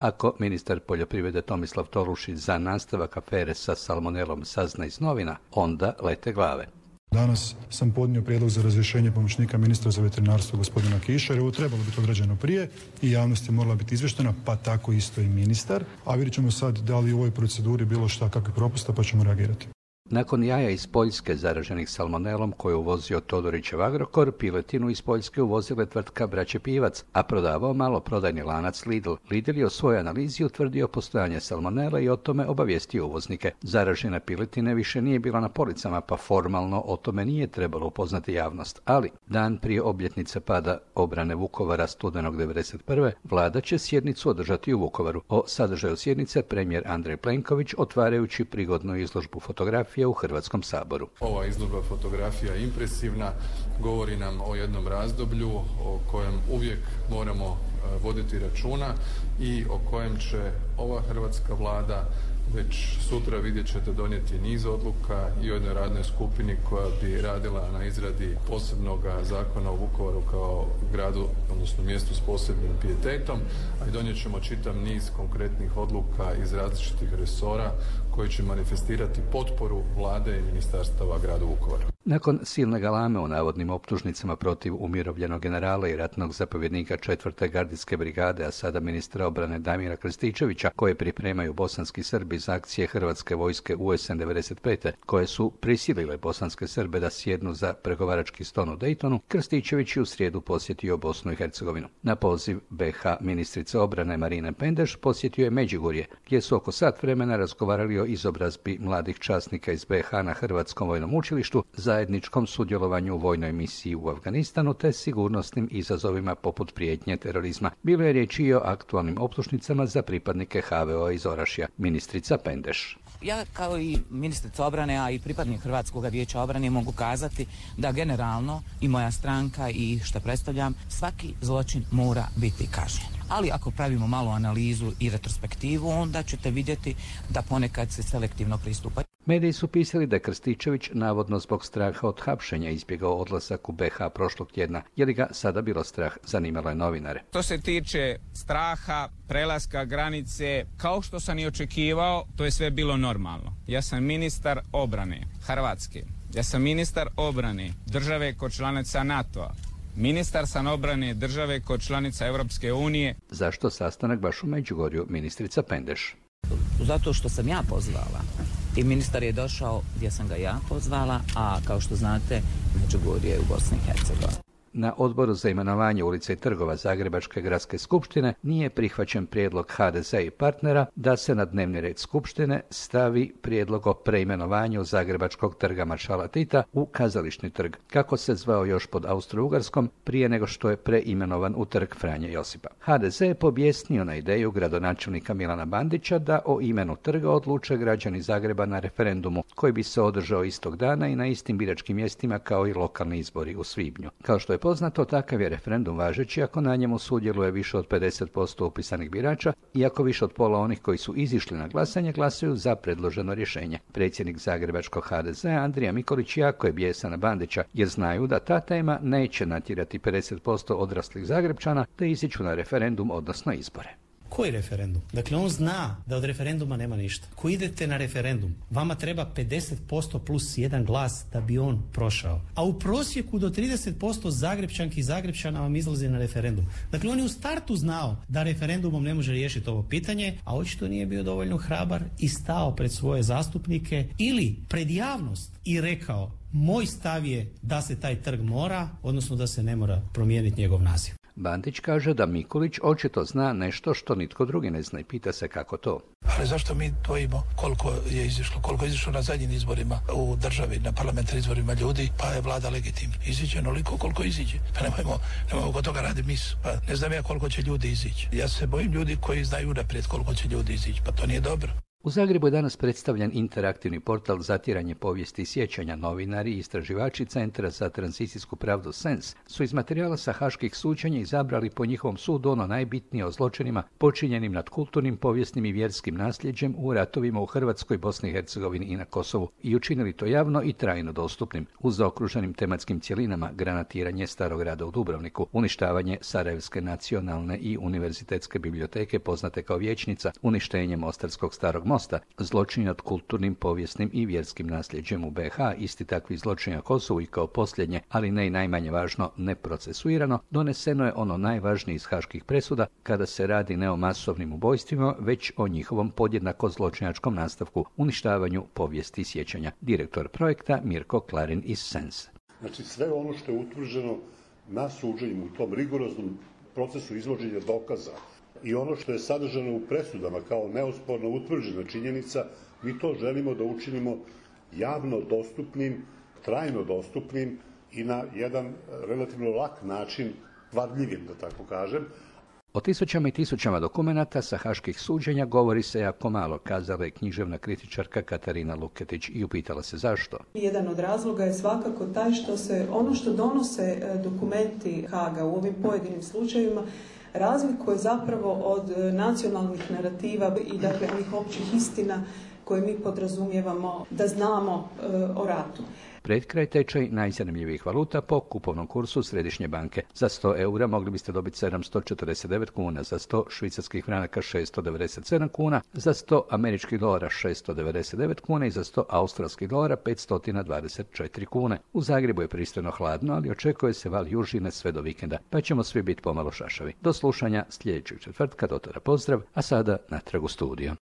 Ako ministar poljoprivrede Tomislav Tolušić za nastavak afere sa salmonelom sazna iz novina, onda lete glave. Danas sam podnio prijedlog za razrješenje pomoćnika ministra za veterinarstvo gospodina Kiša, jer ovo trebalo biti odrađeno prije i javnost je morala biti izvještena, pa tako isto i ministar. A vidjet ćemo sad da li u ovoj proceduri bilo šta kakvih propusta, pa ćemo reagirati. Nakon jaja iz Poljske zaraženih salmonelom koje uvozio Todorićev Agrokor, piletinu iz Poljske uvozile tvrtka Braće Pivac, a prodavao maloprodajni lanac Lidl. Lidl je u svojoj analizi utvrdio postojanje salmonele i o tome obavijestio uvoznike. Zaražena piletine više nije bila na policama, pa formalno o tome nije trebalo upoznati javnost. Ali, dan prije obljetnice pada obrane Vukovara studenog 1991. vlada će sjednicu održati u Vukovaru. O sadržaju sjednice premijer Andrej Plenković otvarajući prigodnu izložbu fotografija u Hrvatskom saboru. Ova izložba fotografija je impresivna, govori nam o jednom razdoblju o kojem uvijek moramo voditi računa i o kojem će ova hrvatska vlada već sutra, vidjet ćete, donijeti niz odluka i o jednoj radnoj skupini koja bi radila na izradi posebnog zakona o Vukovaru kao gradu, odnosno mjestu s posebnim pijetetom, a i donijet ćemo čitav niz konkretnih odluka iz različitih resora koji će manifestirati potporu vlade i ministarstava gradu Vukovaru. Nakon silne galame u navodnim optužnicama protiv umirovljenog generala i ratnog zapovjednika 4. gardijske brigade, a sada ministra obrane Damira Krstičevića, koje pripremaju bosanski Srbi za akcije Hrvatske vojske UN 95. koje su prisilile bosanske Srbe da sjednu za pregovarački stol u Daytonu, Krstičević je u srijedu posjetio Bosnu i Hercegovinu. Na poziv BiH ministrice obrane Marine Pendeš posjetio je Međugorje, gdje su oko sat vremena razgovarali o izobrazbi mladih časnika iz BiH na Hrvatskom vojnom učilištu, zajedničkom sudjelovanju u vojnoj misiji u Afganistanu te sigurnosnim izazovima poput prijetnje terorizma. Bilo je riječi i o aktualnim optužnicama za pripadnike HVO iz Orašja. Ministrica Pendeš. Ja kao i ministrica obrane, a i pripadnik Hrvatskog vijeća obrane mogu kazati da generalno i moja stranka i što predstavljam, svaki zločin mora biti kažnjen. Ali ako pravimo malu analizu i retrospektivu, onda ćete vidjeti da ponekad se selektivno pristupa. Mediji su pisali da je Krstičević navodno zbog straha od hapšenja izbjegao odlazak u BiH prošlog tjedna. Je li ga sada bilo strah, zanimalo je novinare. To se tiče straha, prelaska granice, kao što sam i očekivao, to je sve bilo normalno. Ja sam ministar obrane Hrvatske. Ja sam ministar obrane države kod članica NATO-a. Ministar sam obrane države kod članica Europske unije. Zašto sastanak baš u Međugorju, ministrica Pendeš? Zato što sam ja pozvala i ministar je došao gdje sam ga ja pozvala, a kao što znate, Međugorje je u Bosni i Hercegovini. Na odboru za imenovanje ulica i trgova Zagrebačke gradske skupštine nije prihvaćen prijedlog HDZ i partnera da se na dnevni red skupštine stavi prijedlog o preimenovanju Zagrebačkog trga Maršala Tita u Kazališni trg, kako se zvao još pod Austro-Ugarskom prije nego što je preimenovan u trg Franje Josipa. HDZ je pobjesnio na ideju gradonačelnika Milana Bandića da o imenu trga odluče građani Zagreba na referendumu koji bi se održao istog dana i na istim biračkim mjestima kao i lokalni izbori u svibnju. Kao što je poznato, takav je referendum važeći ako na njemu sudjeluje više od 50% upisanih birača i ako više od pola onih koji su izišli na glasanje glasuju za predloženo rješenje. Predsjednik Zagrebačkog HDZ Andrija Mikulić jako je bijesan na Bandića jer znaju da ta tema neće natjerati 50% odraslih Zagrebčana te iziću na referendum, odnosno izbore. Koji referendum? Dakle, on zna da od referenduma nema ništa. Ko idete na referendum, vama treba 50% plus jedan glas da bi on prošao. A u prosjeku do 30% Zagrebčanki i Zagrebčana vam izlazi na referendum. Dakle, on je u startu znao da referendumom ne može riješiti ovo pitanje, a očito nije bio dovoljno hrabar i stao pred svoje zastupnike ili pred javnost i rekao: moj stav je da se taj trg mora, odnosno da se ne mora promijeniti njegov naziv. Bandić kaže da Mikulić očito zna nešto što nitko drugi ne zna i pita se kako to. Ali zašto mi dvojimo koliko je izišlo na zadnjim izborima u državi, na parlamentarnim izborima ljudi, pa je vlada legitimna. Iziđe onoliko koliko iziđe. Pa nemojmo kod toga radi mis. Pa ne znam ja koliko će ljudi izići. Ja se bojim ljudi koji znaju naprijed koliko će ljudi izići. Pa to nije dobro. U Zagrebu je danas predstavljen interaktivni portal Zatiranje povijesti i sjećanja. Novinari i istraživači Centra za tranzicijsku pravdu SENS su iz materijala sa haških suđenja izabrali po njihovom sudu ono najbitnije o zločinima počinjenim nad kulturnim, povijesnim i vjerskim nasljeđem u ratovima u Hrvatskoj, Bosni i Hercegovini i na Kosovu i učinili to javno i trajno dostupnim. U zaokruženim tematskim cjelinama granatiranje Starog grada u Dubrovniku, uništavanje Sarajevske nacionalne i univerzitetske biblioteke poznate kao Vijećnica, uništenje Mostarskog Starog mosta, zločini nad kulturnim, povijesnim i vjerskim nasljeđem u BiH, isti takvi zločini na Kosovu i kao posljednje, ali ne i najmanje važno, neprocesuirano, doneseno je ono najvažnije iz haških presuda kada se radi ne o masovnim ubojstvima, već o njihovom podjednako zločinačkom nastavku, uništavanju povijesti i sjećanja. Direktor projekta Mirko Klarin iz SENS. Znači sve ono što je utvrđeno na suđenju u tom rigoroznom procesu izvođenja dokaza i ono što je sadržano u presudama kao neosporno utvrđena činjenica, mi to želimo da učinimo javno dostupnim, trajno dostupnim i na jedan relativno lak način, varljivim da tako kažem. O tisućama i tisućama dokumenata sa haških suđenja govori se jako malo, kazala je književna kritičarka Katarina Luketić i upitala se zašto. Jedan od razloga je svakako taj što se ono što donose dokumenti Haaga u ovim pojedinim slučajevima razlikuje zapravo od nacionalnih narativa i dakle onih općih istina koje mi podrazumijevamo da znamo o ratu. Pred kraj tečaj najzanimljivijih valuta po kupovnom kursu Središnje banke. Za 100 eura mogli biste dobiti 749 kuna, za 100 švicarskih franaka 697 kuna, za 100 američkih dolara 699 kuna i za 100 australskih dolara 524 kune. U Zagrebu je pristojno hladno, ali očekuje se val južine sve do vikenda, pa ćemo svi biti pomalo šašavi. Do slušanja sljedećeg četvrtka, do tada pozdrav, a sada natrag u studio.